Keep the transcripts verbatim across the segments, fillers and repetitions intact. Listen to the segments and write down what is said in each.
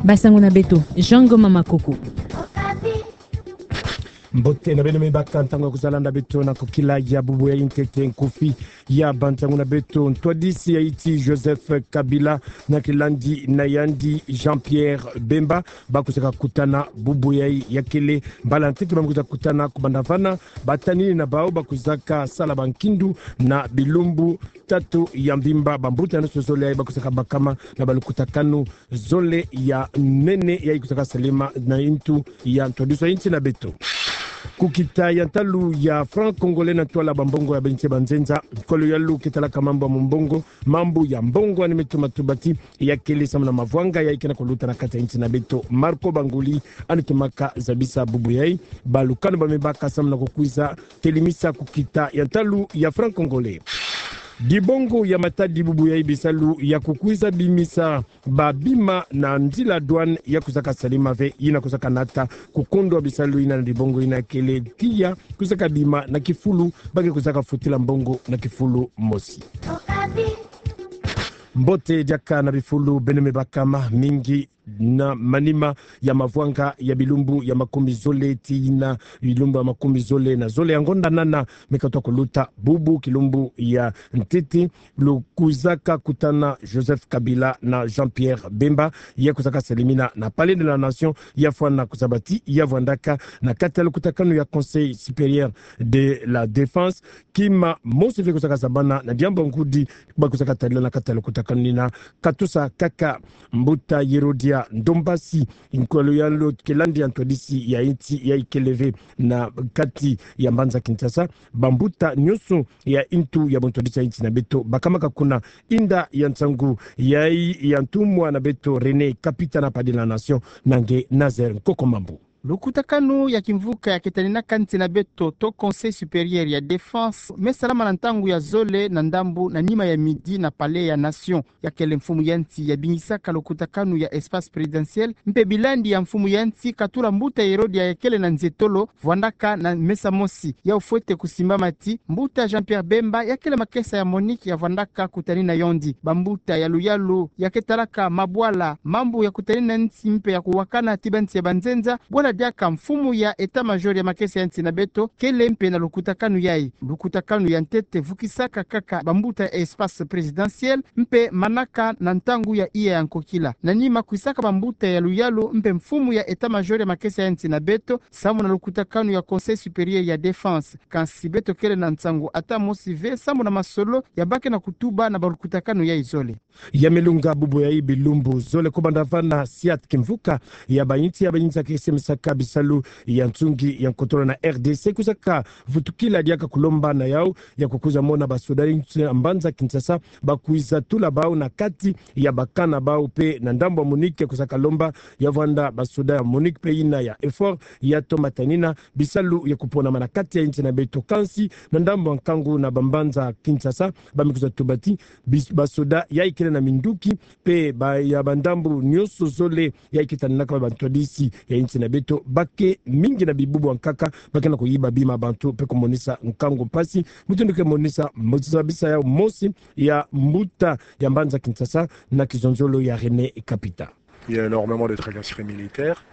Basango na beto, Jean Ngoma Makoko. Mbote na beno mibaka, ntango ya kuzolanda beto na kokila ya bubu ya ntete. Nkufi ya bansango na beto: ntwadisi ya insi Joseph Kabila na kilandi na yandi Jean-Pierre Bemba bakwizaka kutana bubu yayi. Ya kele mbala ntete ba kwiza kutana. Kubanda vana, batanini na bawu bakwizaka sala bankindu na bilumbu tatu ya mvimba. Bambuta nyonso zole yayi bakwizaka bakama na balukutakanu zole ya nene yayi kwizaka salama na ntu ya ntwadisi ya insi na beto. Kukita ya ntalu ya franc congolais na ntwala bambongo ya binsi banzenza, nkolo ya luyalu ketalaka mambu ya mbongo, mambu ya mbongo ani meto matubati, ya kele samu na mavwanga yayi ke na kuluta na kati ya insi na beto. Marco Banguli ani tumaka zabisa bubu yayi. Balukanu ba mibaka samu na kukwiza telimisa kukita ya ntalu ya franc congolais. Dibongo ya matadi bubu yayi bisalu ya kukwiza bimisa babima na nzila douane ya kwizaka salama ve, yina kwizaka nata kukondwa bisalu yina na dibongo yina kele tiya kwizaka bima na kifulu, ba ke kwizaka futila mbongo na kifulu mosi. Mbote diaka na bifulu beno mibaka. Mamingi na manima ya mavwanga ya bilumbu ya makumi zole tii na bilumbu ya makumi zole na zole ya ngonda nana me katwa kuluta, bubu kilumbu ya ntete lukwizaka kutana Joseph Kabila na Jean-Pierre Bemba, ya kwizaka salamina na Palais de la Nation, ya fwana kuzabati ya vwandaka na kati ya lukutakanu ya Conseil supérieur de la défense. Kima mosi ve kwizaka zabana na diambu ngudi ba kwizaka tadila na kati ya lukutakanu yina. Katusa kaka, mbuta Yerodia Ndombasi, nkolo ya luyalu kilandi ya ntwadisi ya insi, ya ikele ve na kati ya mbanza Kinshasa. Bambuta nyonso ya ntu ya buntwadisi ya insi na beto bakamaka kuna. Inda ya nsangu yayi ya ntumwa na beto René Kapita na Palais de la Nation, na nge Nazaire Nkoko Mambu. Lukutakanu ya kimvuka ya ketaninaka nsi na beto to Conseil supérieur ya défense me salama na ntangu ya zole na ndambu na nima ya midi na Palais ya Nation. Ya kele mfumu ya nsi ya bingisaka lukutakanu ya espace présidentiel, mpe bilandi ya mfumu ya nsi katula mbuta Yerodia ya kele na nzietolo vwandaka na mesa mosi. Yawu fwete kusimbama ti mbuta Jean-Pierre Bemba ya kele makesa ya MONUC ya vwandaka kutanina yandi. Bambuta ya luyalu ya ketalaka mabwala, mambu ya kutanina nsi mpe ya kuwakana ti bansi ya banzenza, bwala diaka mfumu ya état-major ya makesa ya nsi na beto kele mpe na lukutakanu yayi. Lukutakanu ya ntete vukisaka kaka bambuta ya espace présidentiel mpe manaka na ntangu ya iya ya nkokila. Na nima kwisaka bambuta ya luyalu mpe mfumu ya état-major ya makesa ya nsi na beto samu na lukutakanu ya Conseil supérieur ya défense. Kansi beto kele na nsangu ata mosi ve samu na masolo ya ba ke na kutuba na balukutakanu yayi zole. Ya me lunga bubu yayi bilumbu zole. Kubanda vana, siat kimvuka ya bayinsi ya bayinsi ya ke semisaka bisalu ya nsungi ya nkotolo na R D C kwizaka vutukila diaka kulomba na yawu ya kukwiza mona basoda ya insi ya mbanza Kinshasa bakwiza tula bawu na kati ya ba camp na bawu, mpe na ndambu ya MONUC kwizaka lomba ya vwanda basoda ya MONUC mpe yina ya EUFOR ya tomba tanina bisalu ya kuponama na kati ya insi na beto. Kansi na ndambu ya nkangu na bambanza Kinshasa, ba me kwiza tubati bis-, basoda ya ikele na minduki, mpe ba ya bandambu nyonso zole ya iketaninaka bantwadisi ya insi na beto, ba ke mingi na bibubu ya nkaka ba ke na kuyiba bima bantu mpe kumonisa nkangu mpasi. Mutindu ke monisa, mozabisa yawu mosi ya mbuta ya mbanza Kinshasa na kizonzolo ya René Kapita. Il y a énormément de tracasseries militaires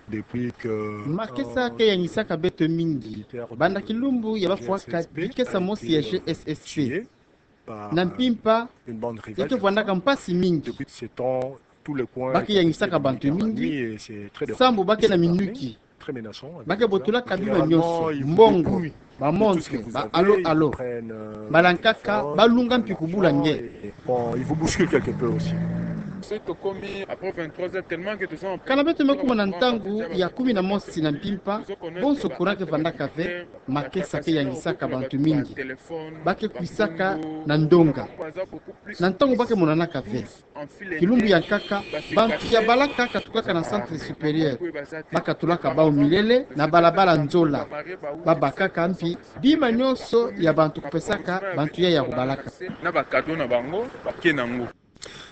depuis que, euh, makesa ke yangisaka beto mingi banda kilumbu ya bafwaka bikesa mosi ya G S S C. Na mpimpa, ya ke vwandaka mpasi mingi. Ba ke yangisaka bantu mingi, sambu ba ke na minuki. Ba ke botolaka bima nyonso, mbongo, ba montre, ba alo-alo. Mbala nkaka ba lunga mpi kubula nge. Kana beto me kuma na ntangu ya kumi na mosi na mpimpa, bonso courant ke vandaka ve, makesa ke yangisaka bantu mingi. Ba ke kwisaka na ndonga. Na ntangu ba ke monanaka ve. Kilumbu ya nkaka, bantu ya balaka katukaka na centre supérieur. Ba katulaka bawu milele na balabala nzola. Ba bakaka mpi bima nyonso ya bantu kupesaka bantu ya ya kubalaka. Na ba cadeau na bango, ba ke na ngo.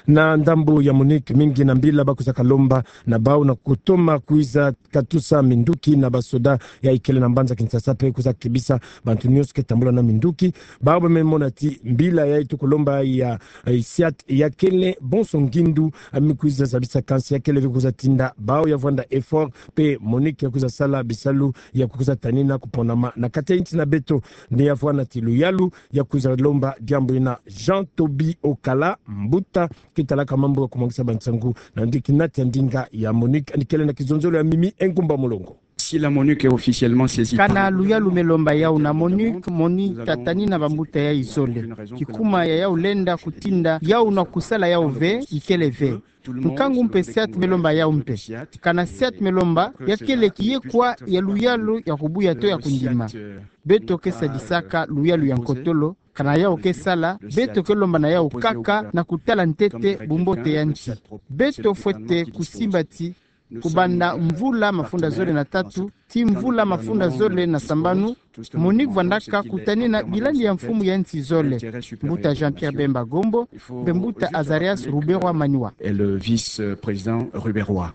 Na ndambu ya MONUC, mingi na mbila ba kwizaka lomba na bau na kutoma kwiza katusa minduki na basoda ya ikele na mbanza Kinshasa mpe kwiza kebisa bantu nyonso ke tambula na minduki. Bau ba me mona ti mbila ya itu kulomba ya, eh, SIAT ya kele bonso ngindu, ami kwiza zabisa kansi ya kele ve kwiza tinda bau ya vwanda effort mpe MONUC ya kwiza sala bisalu ya kwiza tanina kuponama na kati ya insi na beto. Nde ya vwanda ti luyalu ya kwiza lomba diambu ina. Jean Toby Okala, mbuta ke talaka mambu ya kumwangisa bansangu na ndiki nati ya ndinga ya MONUC, yandi kele na kizonzolo ya Mimi Engumba Mulongo. Si la MONUC est officiellement saisie par... Kana luyalu me lomba yau na MONUC, MONUC ta tanina bambuta yai zole. Kikuma ya yau lenda kutinda yau na kusala yau ve, ikele ve. Nkangu mpe SIAT me lomba yau mpe. Kana SIAT me lomba, ya kele kiyekwa ya luyalu ya kubuya to ya kundima. Beto ke sadisaka luyalu ya nkotolo, kana yau ke sala, beto ke lomba na yau kaka na kutala ntete bumbote ya nsi. Beto fwete kusimba ti kubanda mvula mafunda zole na tatu tii mvula mafunda zole na sambanu, MONUC vwandaka kutanina bilandi ya mfumu ya nsi zole, mbuta Jean-Pierre Bemba Gombo mpe mbuta Azarias Ruberwa Maniwa. Et le vice-président Ruberwa.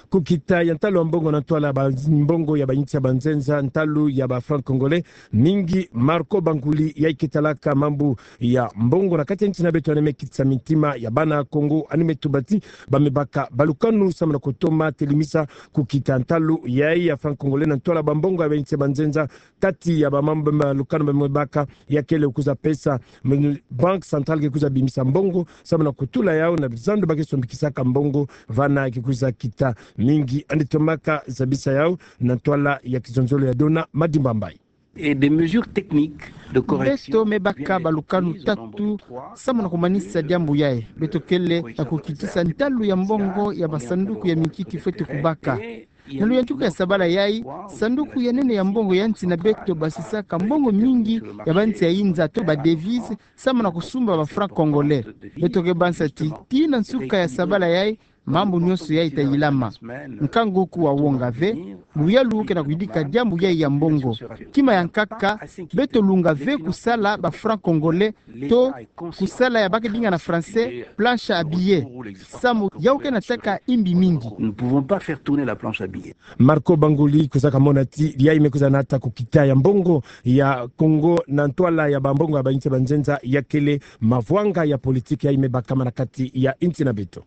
Kukita ya ntalu ya mbongo na ntwala ba mbongo ya bainsi ya banzenza, ntalu ya ba francs congolais, mingi Marco Banguli yai ke talaka mambu ya mbongo na kati ya insi na beto yandi me kitisa mintima ya bana Kongo, yandi me tuba ti ba me baka balukanu samu na kutoma telimisa kukita ntalu yai ya francs congolais na ntwala ba mbongo ya bainsi ya banzenza. Kati ya ba mambu, ba malukanu ba me baka, ya kele kwiza pesa, Banque Centrale ke kwiza bimisa mbongo samu na kutula yau na bizandu ba ke sombikisaka mbongo, vana ke kwiza kita. Mingi yandi tomaka zabisa yau na ntwala ya kizonzolo ya Dona Madimba Mbayi. Et des mesures techniques de correction. Beto me baka balukanu tatu samu na kumanisa diambu yai. Beto kele na kukitisa ntalu ya mbongo ya basanduku ya minkiki fwete kubaka. Na luyantika ya sabala yai, sanduku ya nene ya mbongo ya nsi na beto basisaka mbongo mingi ya bansi ya inza to ba devises samu na kusumba ba francs congolais. Beto ke bansa ti, tii na nsuka ya sabala yai, mambu nyonso yai ta yilama. Nkangu ku wawonga ve, luyalu ke na kuyidika diambu yai ya mbongo. Kima ya nkaka, beto lunga ve kusala ba francs congolais to kusala ya ba ke dinga na français planche à billets. Samu yau ke na taka imbi mingi. Nous ne pouvons pas faire tourner la planche à billets. Marco Banguli kwizaka mona ti yai me kwiza nata kukita ya mbongo ya Kongo na ntwala ya ba mbongo ya bainsi ya banzenza, ya kele mavwanga ya politique yai me bakama na kati ya insi na beto.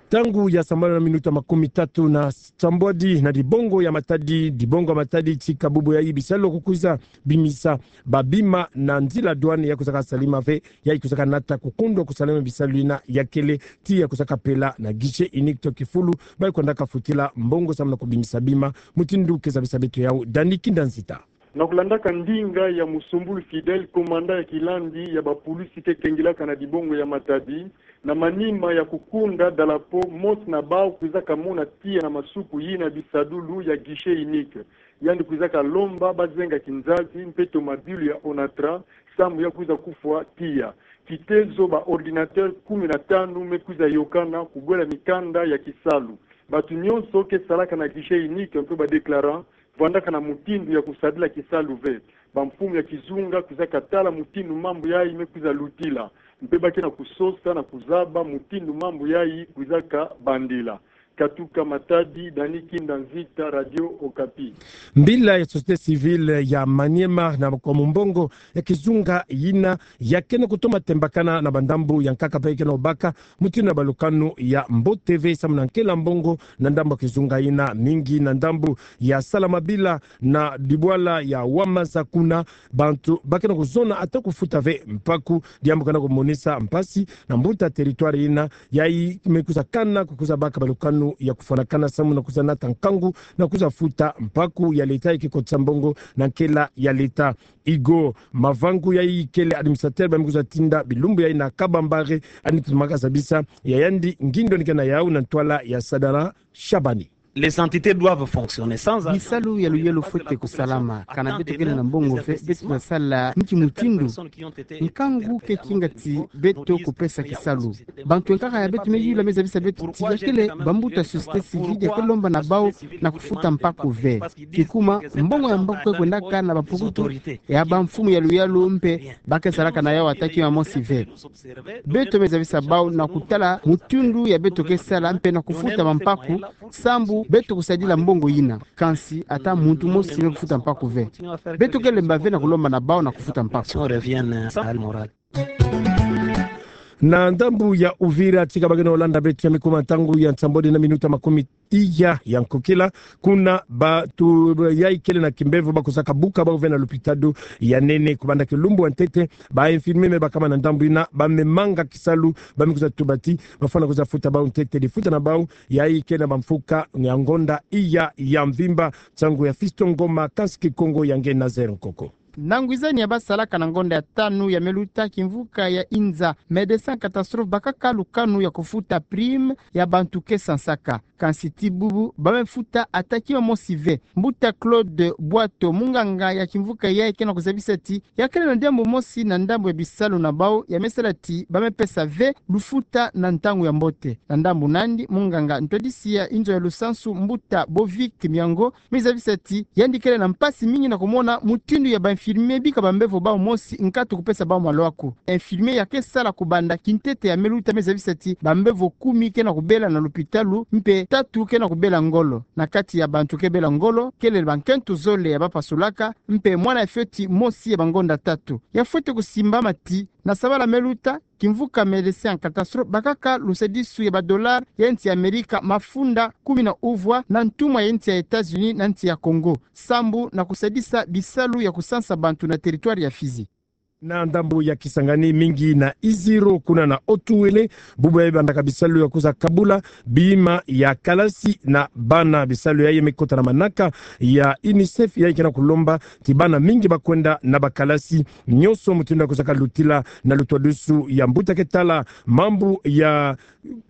Ntangu ya sambanu na minuta makumi tatu na sambwadi na dibongo ya Matadi, dibongo ya Matadi tika bubu yai bisalu kukwiza bimisa ba bima na nzila douane ya kwizaka salama ve, yai kwizaka nata kukundwa kusalama bisalu yina, ya kele ti ya kwizaka pela na guichet unique to kifulu ba kwendaka futila mbongo samu na kubimisa bima. Mutindu ke zabisa beto yau Dani Kinda Nzita. Na kulandaka ndinga ya Musumbulu Fidèle, commandant ya kilandi ya ba pulisi ke kengilaka na dibongo ya Matadi, na manima ya kukunda dalapo, mosi na bau kwizaka mona tiya na masuku yina bisadulu ya guichet unique. Yandi kwizaka lomba bazenga kinzazi mpe tomabilu ya Onatra samu ya kwiza kufwa tiya. Kitezo ba ordinateur kumi na tanu me kwiza yokana kubwela mikanda ya kisalu. Bantu nyonso ke salaka na guichet unique mpe ba déclarant vwandaka na mutindu ya kusadila kisalu ve. Bamfumu ya kizunga kwizaka tala mutindu mambu yai me kwiza lutila, mpe ba ke na kusosa na kuzaba mutindu mambu yai kwizaka bandila. Katuka Matadi, Dani Kinda Nzita, Radio Okapi. Mbila ya société civile ya Maniema na kwa mumbongo ya kizunga yina ya ke na kutoma tembakana na bandambu ya nkaka mpe ke na obaka mutindu na balukanu ya mbote ve samu na nkela mbongo na ndambu ya kizunga yina, mingi na ndambu ya Salamabila na dibwala ya Wamaza. Kuna bantu ba ke na kuzona ata kufuta ve mpaku, diambu ke na kumonisa mpasi na mbuta territoire yina. Yai me kwiza kana kukwiza baka balukanu ya kufwanakana samu na kwiza nata nkangu na kwiza futa mpaku ya leta ya kikotisa mbongo na nkela ya leta. Igo Mavangu yai kele administrateur ba me kwiza tinda bilumbu yai na Kabambare, yandi tomaka zabisa ya yandi ngindo ni ke na yau na ntwala ya Sadala Shabani. Les entités doivent fonctionner. Bisalu ya luyalo fwete kusalama. Kana beto kele na mbongo ve, beto kusala nki mutindu? Nkangu ke kinga ti beto kupesa kisalu. Bantu ya nkaka ya beto me yula, me zabisa beto ti ya kele bambuta société civile ya ke lomba na bau na kufuta mpaku ve. Kikuma, mbongo ya mpaku ke kwendaka na bampukutu ya bamfumu ya luyalo mpe ba ke salaka na yau ata kima mosi ve. Beto me zabisa bau na kutala mutindu ya beto ke sala mpe na kufuta bampaku, sambu beto kusadila mbongo yina. Kansi ata muntu mosi me kufuta mpaku ve. Beto ke lemba ve na kulomba na bau na kufuta mpaku. Na ndambu ya Uvira, tika ba ke na landa beto, ya me kuma ntangu ya nsambwadi na minuta makumi iya ya nkokila, kuna bantu yayi kele na kimbevo ba kuzaka buka bau ve na lupitalu ya nene. Kubanda kilumbu ya ntete, ba infirmier me bakama na ndambu yina ba me manga kisalu, ba me kuza tuba ti ba fwana kuza futa bau ntete lifuta na bau yayi kele na bamfuka ya ngonda iya ya mvimba. Nsangu ya Fiston Ngoma, kansi Kikongo ya nge Nazaire Nkoko. Na ngwizani ya ba salaka na ngonda ya tanu ya me luta, kimvuka ya Inza, Médecins Catastrophes bakaka lukanu ya kufuta prime ya bantu ke sansaka. Kansi ti bubu ba me futa ata kima mosi ve. Mbuta Claude Bwato, munganga ya kimvuka yayi, ke na kuzabisa ti ya kele na diambu mosi na ndambu ya bisalu na bau ya me sala ti ba me pesa ve lufuta na ntangu ya mbote. Na ndambu nandi, munganga ntwadisi ya inzo ya lusansu, Mbuta Bovic Miango, me zabisa ti yandi kele na mpasi mingi na kumona mutindu ya ba infirmier bika bambevo bau mosi nkatu kupesa bau malwaku. Infirmier ya ke sala kubanda kintete ya me luta me zabisa ti bambevo kumi ke na kubela na lupitalu, mpe tatu ke na kubela ngolo. Na kati ya bantu ke bela ngolo, kele bankento zole ya ba pasulaka, mpe mwana ya fioti mosi ya bangonda tatu. Ya fwete kusimbama ti na sabala me luta, kimvuka Médecins Catastrophes bakaka lusadisu ya ba dollars ya nsi ya Amerika mafunda kumi na uvwa na ntumwa ya nsi ya États-Unis na nsi ya Congo, sambu na kusadisa bisalu ya kusansa bantu na territoire ya Fizi. Na ndambu ya Kisangani, mingi na Isiro kuna na Haut-Uélé, bubu yayi bandaka bisalu ya kuza kabula bima ya kalasi na bana. Bisalu yayi me kota na manaka ya UNICEF, yayi ke na kulomba ti bana mingi ba kwenda na bakalasi nyonso, mutindu ya kuzaka lutila na lutwadusu ya mbuta ke tala mambu ya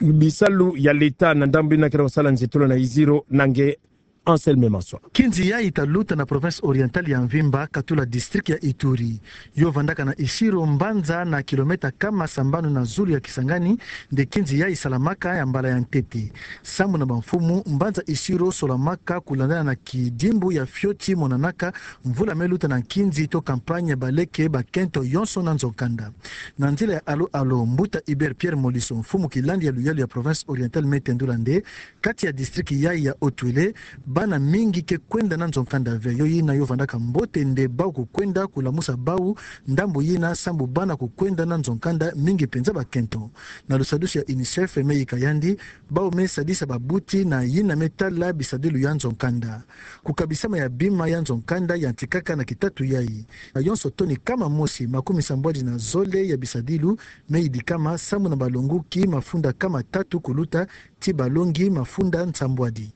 bisalu ya leta na ndambu yina ke na kusala nzietolo na Isiro, na nge Anselme Maswa. Kinzi yayi ta luta na province orientale ya mvimba, katula district ya Ituri. Yo vandaka na Isiro, mbanza na kilomètre kama sambanu na zulu ya Kisangani, nde kinzi yayi salamaka ya mbala ya ntete. Sambu na bamfumu, mbanza Isiro solamaka kulandana na kidimbu ya fioti monanaka mvula me luta na nkinzi to campagne ya baleke bakento yonso na nzo-nkanda. Na nzila ya alo-alo, mbuta Hubert Pierre Moliso, mfumu kilandi ya luyalu ya province orientale, me tendula nde kati ya district yayi ya Haut-Uélé, bana mingi ke kwenda na nzo-nkanda ve. Yo yina yo vandaka mbote nde bau kukwenda kulamusa bau ndambu yina, sambu bana kukwenda na nzo-nkanda mingi penza bakento. Na lusadusu ya UNICEF me yika yandi, bau me sadisa babuti na yina me tala bisadilu ya nzo-nkanda. Kukabisama ya bima ya nzo-nkanda yantikaka na kitatu yayi. Na yonso toni kama mosi makumi sambwadi na zole ya bisadilu me yidikama, sambu na balonguki mafunda kama tatu kuluta ti balongi mafunda nsambwadi.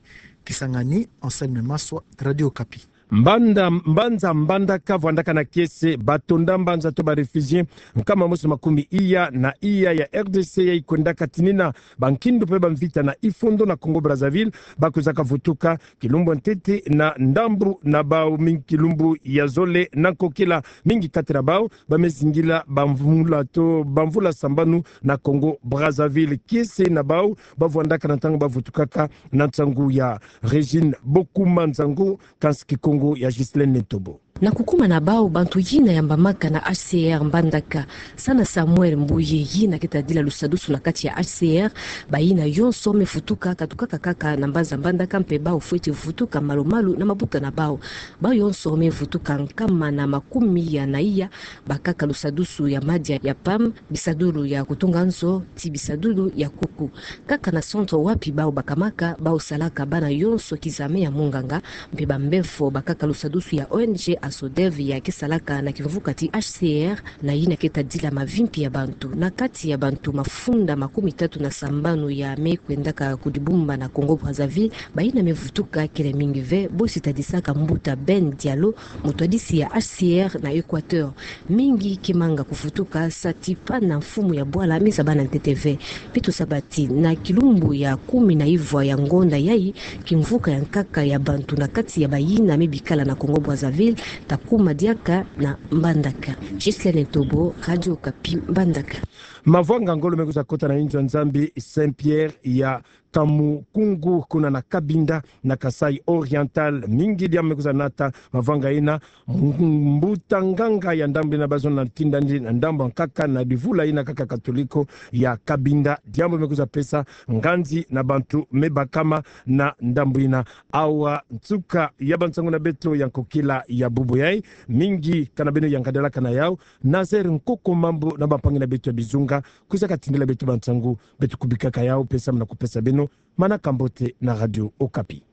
Kisangani, Anselme Maswa, Radio Okapi. Mbanda, mbanza Mbandaka vwandaka na kiese batonda mbanza to ba réfugiés nkama mosi makumi iya na iya ya R D C yayi kwendaka tinina bankindu mpe bamvita na Ifondo na Congo Brazzaville, ba kuzaka vutuka kilumbu ya ntete na ndambu na bau mingi kilumbu ya zole na nkokila. Mingi kati na bau ba me zingila bamvula to bamvula sambanu na Congo Brazzaville. Kiese na bau ba vwandaka na ntangu ba vutukaka na nsangu ya Régine Bokuma Nzango, kansi Kikongo ya Ghislaine Netobo. Na kukuma na bau, bantu yina yambamaka na H C R Mbandaka, Sana Samuel Mbuye, yina ke tadila lusadusu na kati ya H C R, bayina yonso me vutuka, katukaka kaka na mbanza Mbandaka, mpe bau fweti vutuka malu-malu na mabuta na bau. Bau yonso me vutuka nkama na makumi ya na iya, bakaka lusadusu ya madia ya PAM, bisadulu ya kutunga nzo, ti bisadulu ya kuku. Kaka na centre wapi bau bakamaka, bau salaka bana yonso kizame ya munganga, mpe bambevo bakaka lusadusu ya O N G SODEV ya ke salaka na kimvuka ti H C R, na yina ke tadila mavimpi ya bantu. Na kati ya bantu mafunda makumi tatu na sambanu ya me kwendaka kudibumba na Congo Brazzaville, bayina me vutuka kele mingi ve, bosi tadisaka mbuta Ben Diallo, mutwadisi ya H C R na Equateur. Mingi ke manga kuvutuka sa ti pana mfumu ya bwala me zabana ntete ve. Beto sabati na kilumbu ya kumi na ivwa ya ngonda yayi, kimvuka ya nkaka ya bantu na kati ya bayina me bikala na Congo Brazzaville, ta kuma diaka na Mbandaka. Ghislaine Ntobo, Radio Okapi, Mbandaka. Mavanga ngolo me kwiza kota na inzo ya Nzambi Saint-Pierre ya Kamukungu kuna na Cabinda na Kasaï Oriental. Mingi diambu me kwiza nata mavanga yina. Mbuta nganga ya ndambu yina bazo na tindandi na ndambu ya nkaka na divula yina kaka Katoliko ya Cabinda. Diambu me kwiza pesa nganzi na bantu me bakama na ndambu yina. Awa nsuka ya bansangu na beto ya nkokila ya bubu yayi. Mingi kana beno yangadalaka na yau. Nazaire Nkoko Mambu na bampangi na beto ya bizunga kwiza katindila beto bansangu, beto kubikaka yau, pesa muna kupesa beno manaka mbote na Radio Okapi.